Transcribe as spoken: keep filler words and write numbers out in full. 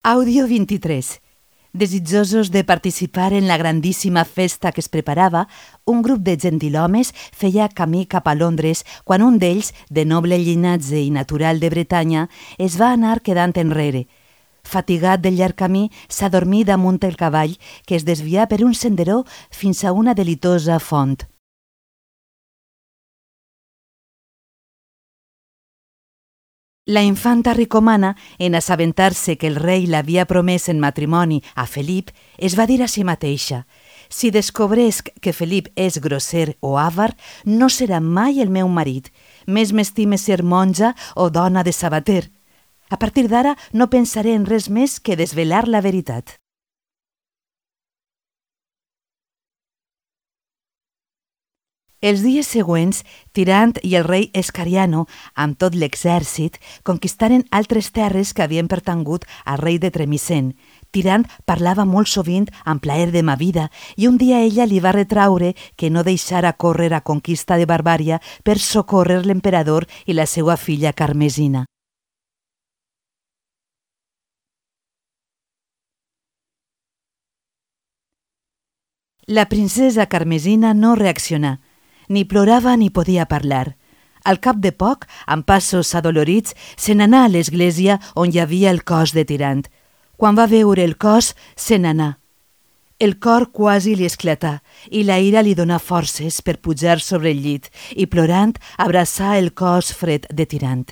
Àudio vint-i-tres. Desitjosos de participar en la grandíssima festa que es preparava, un grup de gentilhomes feia camí cap a Londres quan un d'ells, de noble llinatge i natural de Bretanya, es va anar quedant enrere. Fatigat del llarg camí, s'adormí damunt el cavall, que es desvià per un senderó fins a una delitosa font. La infanta ricomana, en assabentar-se que el rei l'havia promès en matrimoni a Felip, es va dir a si mateixa: «Si descobresc que Felip és grosser o àvar, no serà mai el meu marit. Més m'estime ser monja o dona de sabater. A partir d'ara no pensaré en res més que desvelar la veritat». Els dies següents, Tirant i el rei Escariano, amb tot l'exèrcit, conquistaren altres terres que havien pertangut al rei de Tremisen. Tirant parlava molt sovint amb plaer de ma vida i un dia ella li va retraure que no deixara córrer a conquista de Barbària per socórrer l'emperador i la seva filla Carmesina. La princesa Carmesina no reaccionà. Ni plorava ni podia parlar. Al cap de poc, amb passos adolorits, se n'anà a l'església on hi havia el cos de Tirant. Quan va veure el cos, se n'anà. El cor quasi li esclatà i la ira li donà forces per pujar sobre el llit i, plorant, abraçà el cos fred de Tirant.